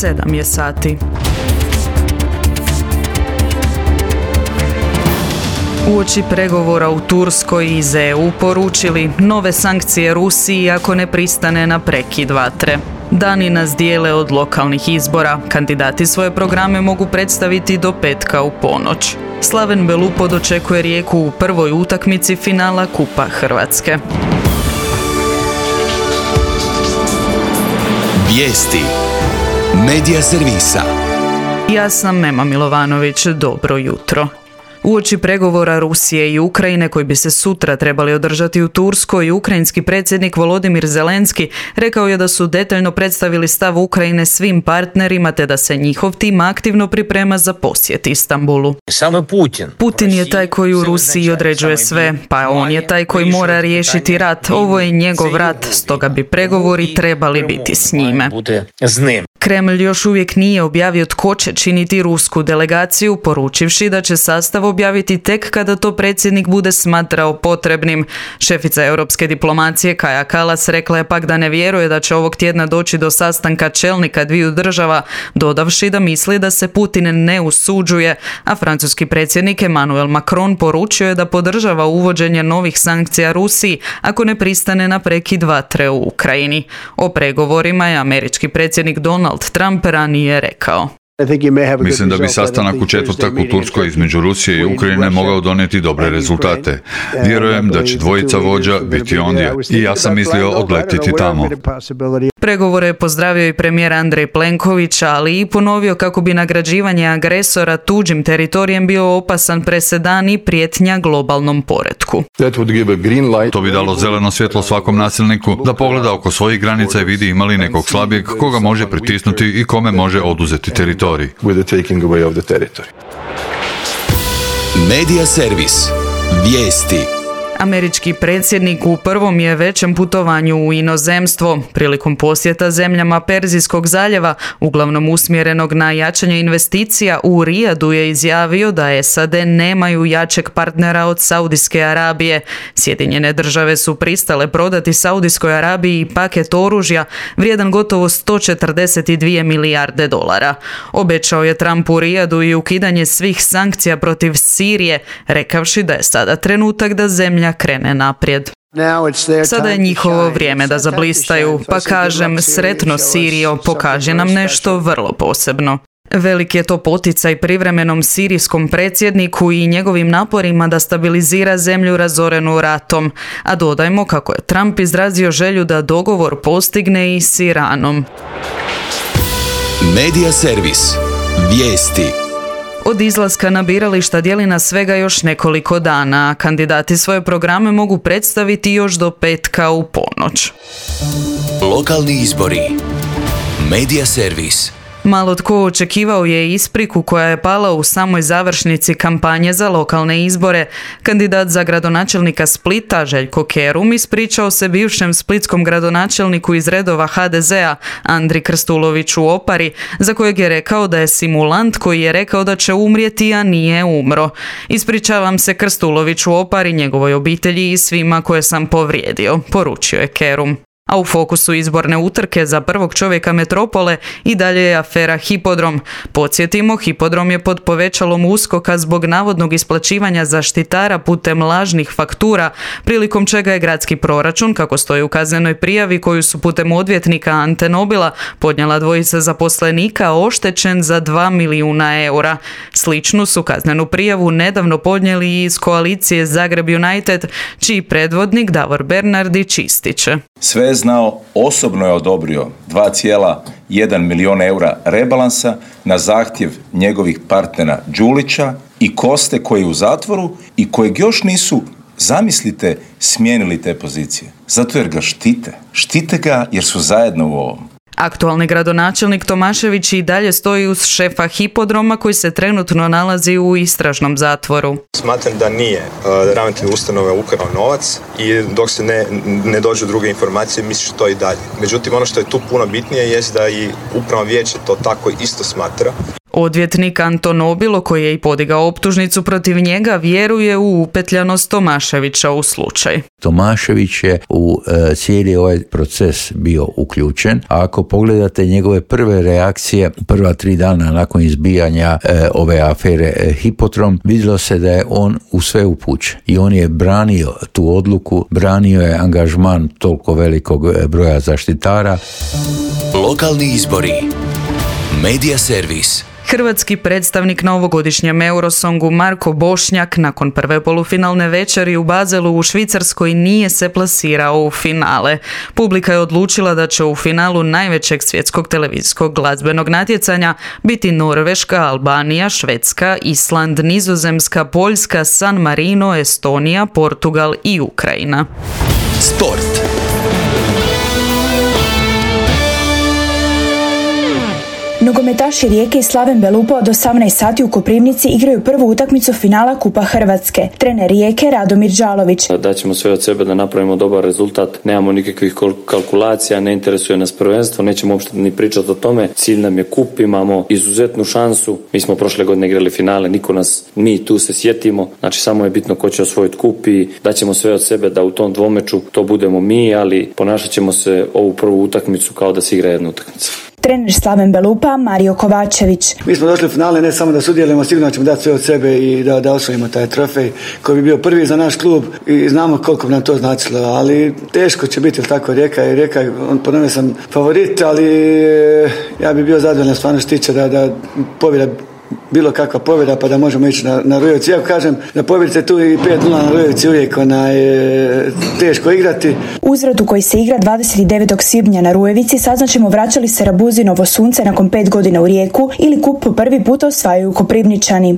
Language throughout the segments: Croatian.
7 je sati. Uoči pregovora u Turskoj iz EU poručili nove sankcije Rusiji ako ne pristane na prekid vatre. Dani nas dijele od lokalnih izbora. Kandidati svoje programe mogu predstaviti do petka u ponoć. Slaven Belupo dočekuje Rijeku u prvoj utakmici finala Kupa Hrvatske. Vijesti Medija servisa. Ja sam Mema Milovanović, dobro jutro. Uoči pregovora Rusije i Ukrajine koji bi se sutra trebali održati u Turskoj, ukrajinski predsjednik Volodimir Zelenski rekao je da su detaljno predstavili stav Ukrajine svim partnerima te da se njihov tim aktivno priprema za posjet Istanbulu. Samo Putin je taj koji u Rusiji određuje sve, pa on je taj koji mora riješiti rat. Ovo je njegov rat, stoga bi pregovori trebali biti s njime. Kremlj još uvijek nije objavio tko će činiti rusku delegaciju, poručivši da će sastav objaviti tek kada to predsjednik bude smatrao potrebnim. Šefica europske diplomacije Kaja Kallas rekla je pak da ne vjeruje da će ovog tjedna doći do sastanka čelnika dviju država, dodavši da misli da se Putin ne usuđuje, a francuski predsjednik Emmanuel Macron poručio je da podržava uvođenje novih sankcija Rusiji ako ne pristane na prekid vatre u Ukrajini. O pregovorima je američki predsjednik Donald Trump ranije rekao. Mislim da bi sastanak u četvrtak u Turskoj između Rusije i Ukrajine mogao donijeti dobre rezultate. Vjerujem da će dvojica vođa biti ondje i ja sam mislio odletiti tamo. Pregovore je pozdravio i premijer Andrej Plenković, ali i ponovio kako bi nagrađivanje agresora tuđim teritorijem bio opasan presedan i prijetnja globalnom poretku. To bi dalo zeleno svjetlo svakom nasilniku da pogleda oko svojih granica i vidi ima li nekog slabijeg koga može pritisnuti i kome može oduzeti teritorij. Medija servis. Vijesti. Američki predsjednik u prvom je većem putovanju u inozemstvo. Prilikom posjeta zemljama Perzijskog zaljeva, uglavnom usmjerenog na jačanje investicija, u Rijadu je izjavio da SAD nemaju jačeg partnera od Saudijske Arabije. Sjedinjene države su pristale prodati Saudijskoj Arabiji paket oružja vrijedan gotovo 142 milijarde dolara. Obećao je Trump u Rijadu i ukidanje svih sankcija protiv Sirije, rekavši da je sada trenutak da zemlja krene naprijed. Sada je njihovo vrijeme da zablistaju, pa kažem, sretno Sirijo, pokaži nam nešto vrlo posebno. Velik je to poticaj privremenom sirijskom predsjedniku i njegovim naporima da stabilizira zemlju razorenu ratom. A dodajmo kako je Trump izrazio želju da dogovor postigne i s Iranom. Medija servis. Vijesti. Od izlaska na birališta dijeli na svega još nekoliko dana, a kandidati svoje programe mogu predstaviti još do petka u ponoć. Lokalni izbori. Medija servis. Malo tko očekivao je ispriku koja je pala u samoj završnici kampanje za lokalne izbore. Kandidat za gradonačelnika Splita, Željko Kerum, ispričao se bivšem splitskom gradonačelniku iz redova HDZ-a, Andri Krstuloviću Opari, za kojeg je rekao da je simulant koji je rekao da će umrijeti, a nije umro. Ispričavam se Krstuloviću Opari, njegovoj obitelji i svima koje sam povrijedio, poručio je Kerum. A u fokusu izborne utrke za prvog čovjeka metropole i dalje je afera Hipodrom. Podsjetimo, Hipodrom je pod povećalom USKOK-a zbog navodnog isplaćivanja zaštitara putem lažnih faktura, prilikom čega je gradski proračun, kako stoji u kaznenoj prijavi koju su putem odvjetnika Ante Nobila podnijela dvojica zaposlenika, oštećen za 2 milijuna eura. Sličnu su kaznenu prijavu nedavno podnijeli iz koalicije Zagreb United, čiji predvodnik Davor Bernardić ističe. Sve je znao, osobno je odobrio 2,1 milijun eura rebalansa na zahtjev njegovih partnera Đulića i Koste koji je u zatvoru i kojeg još nisu, zamislite, smijenili te pozicije. Zato jer ga štite. Štite ga jer su zajedno u ovom. Aktualni gradonačelnik Tomašević i dalje stoji uz šefa Hipodroma koji se trenutno nalazi u istražnom zatvoru. Smatram da nije ravnatelj ustanove ukrao novac i dok se ne dođu druge informacije misliš to i dalje. Međutim, ono što je tu puno bitnije jest da i upravno vijeće to tako isto smatra. Odvjetnik Anton Obilo, koji je i podigao optužnicu protiv njega, vjeruje u upetljanost Tomaševića u slučaj. Tomašević je u cijeli ovaj proces bio uključen, a ako pogledate njegove prve reakcije, prva 3 dana nakon izbijanja ove afere Hipotrom, vidjelo se da je on u sve upućen i on je branio tu odluku, branio je angažman toliko velikog broja zaštitara. Lokalni izbori. Medija servis. Hrvatski predstavnik na ovogodišnjem Eurosongu Marko Bošnjak nakon prve polufinalne večeri u Bazelu u Švicarskoj nije se plasirao u finale. Publika je odlučila da će u finalu najvećeg svjetskog televizijskog glazbenog natjecanja biti Norveška, Albanija, Švedska, Island, Nizozemska, Poljska, San Marino, Estonija, Portugal i Ukrajina. Sport. Nogometaši Rijeke i Slaven Belupa od 18 sati u Koprivnici igraju prvu utakmicu finala Kupa Hrvatske. Trener Rijeke Radomir Đalović. Daćemo sve od sebe da napravimo dobar rezultat. Nemamo nikakvih kalkulacija, ne interesuje nas prvenstvo, nećemo uopšte ni pričati o tome. Cilj nam je kup, imamo izuzetnu šansu. Mi smo prošle godine igrali finale, mi tu se sjetimo. Znači samo je bitno ko će osvojiti kup i daćemo sve od sebe da u tom dvomeču to budemo mi, ali ponašat ćemo se ovu prvu utakmicu kao da se igra jedna utakmica. Trener Slaven Belupa Mario Kovačević. Mi smo došli u finale ne samo da sudjelujemo, sigurno ćemo dati sve od sebe i da osvojimo taj trofej koji bi bio prvi za naš klub i znamo koliko bi nam to značilo, ali teško će biti, tako Rijeka, ponovno sam favorit, ali ja bi bio zadovoljan stvarno što tiče da pobjeda bilo kakva pobjeda pa da možemo ići na Rujevici. Ja kažem da pobjedite tu i 5-0 na Rujevici uvijek teško igrati. Uzvrat u koji se igra 29. svibnja na Rujevici saznaćemo vraćali se Rabuzinovo sunce nakon 5 godina u Rijeku ili kup po prvi put osvajaju Koprivničani.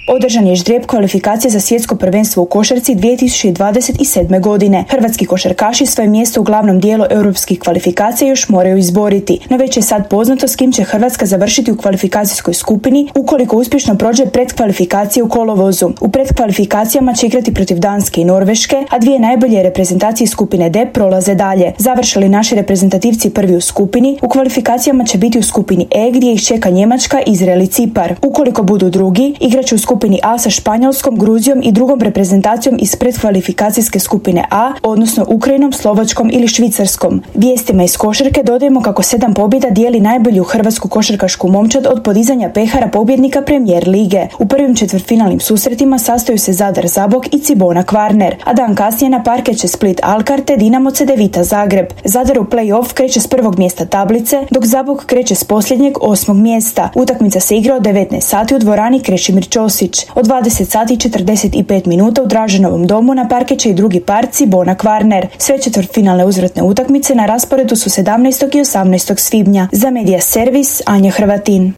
Održan je ždrijeb kvalifikacije za svjetsko prvenstvo u košarci 2027. godine. Hrvatski košarkaši svoje mjesto u glavnom dijelu europskih kvalifikacija još moraju izboriti, no već je sad poznato s kim će Hrvatska završiti u kvalifikacijskoj skupini ukoliko uspješno prođe predkvalifikacije u kolovozu. U predkvalifikacijama će igrati protiv Danske i Norveške, a 2 najbolje reprezentacije skupine D prolaze dalje. Završili naši reprezentativci prvi u skupini, u kvalifikacijama će biti u skupini E gdje ih čeka Njemačka, Izrael i Cipar. Ukoliko budu drugi, igraće u skupini A sa Španjolskom, Gruzijom i drugom reprezentacijom iz predkvalifikacijske skupine A, odnosno Ukrajinom, Slovačkom ili Švicarskom. Vijestima iz košarke dodajemo kako 7 pobjeda dijeli najbolju hrvatsku košarkašku momčad od podizanja pehara pobjednika Premijer lige. U prvim četvrtfinalnim susretima sastaju se Zadar Zabok i Cibona Kvarner, a dan kasnije na parket će Split Alkar te Dinamo Cedevita Zagreb. Zadar u play-off kreće s prvog mjesta tablice, dok Zabok kreće s posljednjeg 8. mjesta. Utakmica se igra od 19 sati u dvorani Krešimir Ćosić. Od 20 sati i 45 minuta u Draženovom domu na parket će i drugi par Cibona Kvarner. Sve četvrtfinalne uzvratne utakmice na rasporedu su 17. i 18. svibnja. Za Medija servis Anja Hrvatin.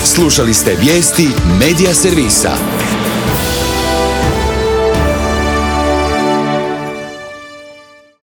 Slušali ste vijesti Medija servisa.